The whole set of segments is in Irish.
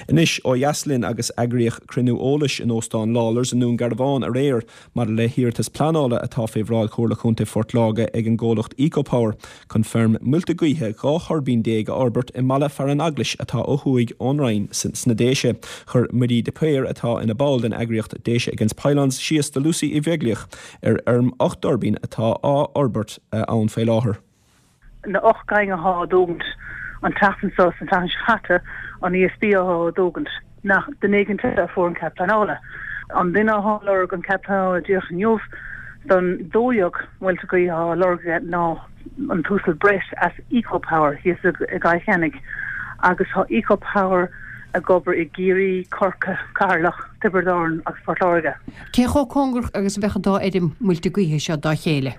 Anois, ó dheas linn agus eagraíodh cruinniú eolais in Óstán Lawlor's i nDún Garbhán aréir maidir le hiarratas pleanála atá fé bhráid Chomhairle Chontae Phort Láirge ag an gcomhlacht Ecopower chun feirm muilte gaoithe 12 thuirbín a fhorbairt i mbaile fearainn Eaglais atá ó thuaidh ón Rinn sna Déise. Chuir Midí de Paor atá ina ball den eagraíocht Déise Against Pylons síos do Lucy Uí Bheaglaoich ar fheirm 8 dtuirbín atá á fhorbairt ann fé láthair. Na 8 gcinn athá á dtógaint an tseachtain seo 's an tseachtain seo chaite, an ESB athá á dtógaint, nach duine éigint eile a fuair an cead pleanála. An duine athá ag lorg an cead pleanála díreach inniu don 12 muilte gaoithe athá á lorg aige ná an tUasal Brett as Ecopower thíos i gCill Chainnigh agus thá Ecopower ag obair i gCiarraí, Corcaigh, Ceatharlach, Tiobraid Árann agus Port Láirge. Cé chomh cóngarach agus a bheadh an dá fheirm muilte gaoithe seo dá chéile?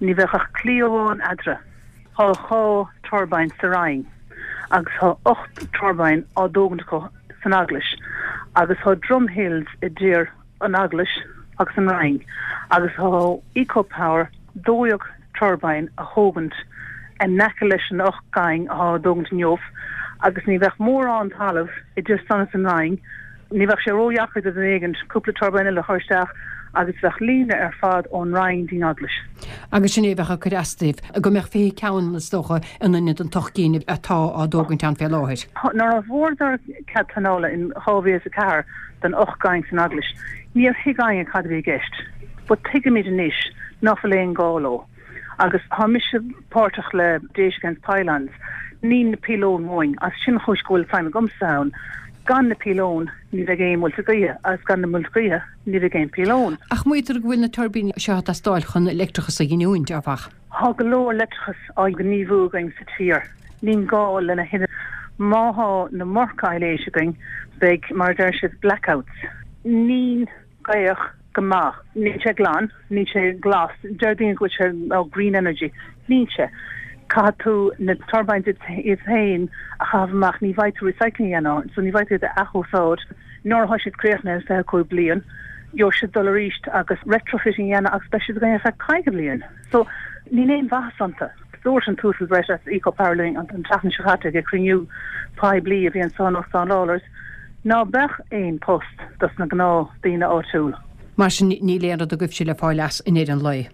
Ní bheadh ach claí amháin eadarthu. Thá 2 turbine sa Rinn agus thá 8 turbine á dtógaint acu san Eaglais agus thá Drumhills idir an Eaglais agus an Rinn agus thá Ecopower 12 turbine a thógaint in aice leis an 8 gcinn athá á dtógaint inniu agus ní bheadh mórán talamh idir san is an Rinn Ní bheadh sé ródheacair do dhuine éigint cúpla turbine eile a chur isteach agus bheadh líne ar fad ón Rinn dtí'n Eaglais. Agus sin é a bheadh ag cur as daoibh, go mbeadh 20 ceann, is dócha, in ionad an t-ocht gcinn atá á dtógaint ann fé láthair. Nuair a fuaireadar cead pleanála in 2004 don 8 gcinn san Eaglais, níor thuig éinne cad a bhí i gceist. But tuigimid anois ná fuil aon gá leo. Agus thá mise páirteach le Déise Against Pylons. Níl na píolóin uainn, agus sin an chúis go bhfuil feidhm agamsa ann. Gan na píolóin, ní bheidh aon muilte gaoithe, agus gan na muilte gaoithe, ní bheidh aon píolón. Ach maítear go bhfuil na tuirbíní seo ag teastáil chun leictreachas a ghiniúint, áfach. Thá go leor leictreachas á ghníomhú againn sa tír. Níl gá lena thuilleadh. Má thá an iomarca aibhléis againn, beidh, mar a deir siad, blackouts. Níl gaoth go maith. Níl sé glan, níl sé glas. Deir daoine go bhfuil sé oh green energy. Níl sé. Caithfidh tú na turbines iad féin a chaitheamh amach, ní bhfaighidh tú recycling a dhéanamh orthu, so ní bhfaighidh tú iad a athúsáid. Nuair atá siad críochnaithe in 25 bliain, gheobhaidh siad dul arís agus retrofitting a dhéanamh agus beidh siad againn ar feadh 50 bliain. So níl aon mhaitheas iontu. Dúirt an tUasal Brett as Ecopower linn an tseachtain seo caite ag cruinniú poiblí a bhí anso in Óstán Lawlor's ná beadh aon post dos na gnáth daoine áitiúil. Mar sin níl aon rud agaibhse le fáil as i ndeireadh an lae.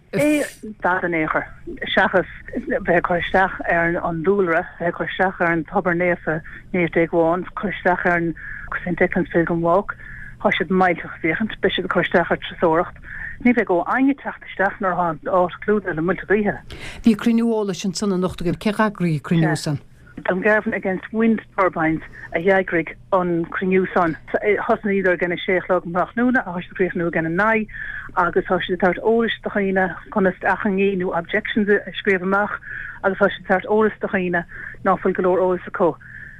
Dada in aon chor, seachas bheith ag cur isteach ar an dúlra, bheith ag cur isteach ar an tobar naofa Naomh Déagmhán, cur isteach ar an St Declan's Pilgrim Walk, tá siad millteach ag féachaint, beidh siad ag cur isteach ar turasóireacht. Ní bheidh ó éinne teacht isteach nuair atá an áit clúdaithe le muilte gaoithe. Bhí cruinniú eolais ansan anocht agaibh. Cé dh'eagraigh an cruinniú san? Dungarvan Against Wind Turbines a dh'eagraigh an cruinniú san. Thosnaíodar ag an 6 a chlog um thráthnóna agus tá siad ag críochnú ag an 9 agus tá siad ag tabhairt eolais do dhaoine conas achainí nó objections a scríobh amach agus tá siad ag tabhairt eolas do dhaoine ná fuil go leor eolas acu.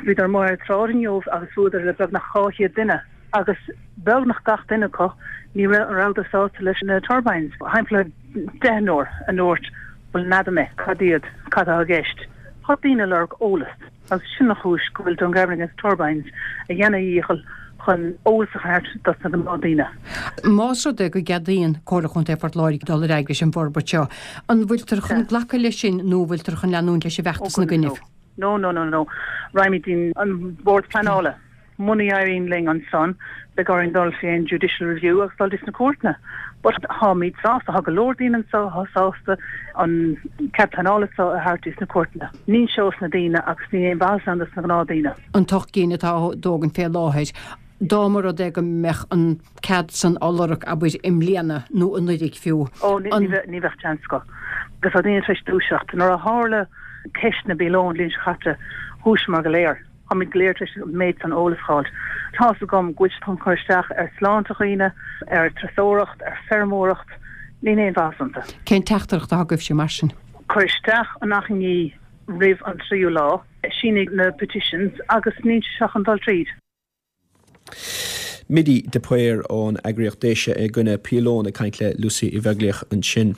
Bhíodar amuigh ar an tsráid inniu agus bhuaileadar le beagnach 200 duine agus beagnach gach duine acu ní rabhadar sásta leis na turbines. Timpeall deichniúr a ndúirt bhuel n'fheadar mé cad iad, cad atá i gceist. Tá daoine ag lorg eolas agus sin an chúis go bhfuil Dungarvan Against Turbines ag déanamh a dhícheall chun eolas a thabhairt dos na gnáthdaoine. Más rud é go gceadaíonn Comhairle Chontae Phort Láirge dul ar aghaidh leis an bhforbairt seo, an bhfuiltear chun glacadh leis sin nó an bhfuiltear chun leanúint leis an bhfeachtas ina gcoinnibh? No, no, no, no. Raghaimid dtí'n an Bord Pleanála. Muna éiríonn linn ansan, beidh orainn dul fé an judicial review agus dul dtí sna cúirteanna. But táimid sásta, tá go leor daoine anso atá sásta an cead pleanála so a thabhairt dtí sna cúirteanna. Níl sé ós na daoine agus níl aon mhaitheas ann dos na gnáthdaoine. An t-ocht gcinn atá á dtógaint fé láthair, dá mba rud é go mbeadh an cead san á lorg, abair, i mbliana nó anuiridh fiú, Ó, ní bheadh chance acu. Agus tá daoine tar éis dúiseacht. Nuair a tharla ceist na bpíolón an bhliain seo caite, dhúiseamar go léir. Táimid go léir tar éis an méid san eolas a fháilt. Tá's agam go bhfuil siad chun cur isteach ar sláinte dhaoine, ar turasóireacht, ar feirmeoireacht. Níl aon mhaitheas iontu. Cén teachtaireacht atá agaibhse mar sin? Cuir isteach an achainí roimh an tríú lá, sínigh na petitions agus níl sé seo chun dul tríd. Midi de Paor ón eagraíocht Déise i gcoinne Píolón ag caint le Lucy Uí Bheaglaoich ansin.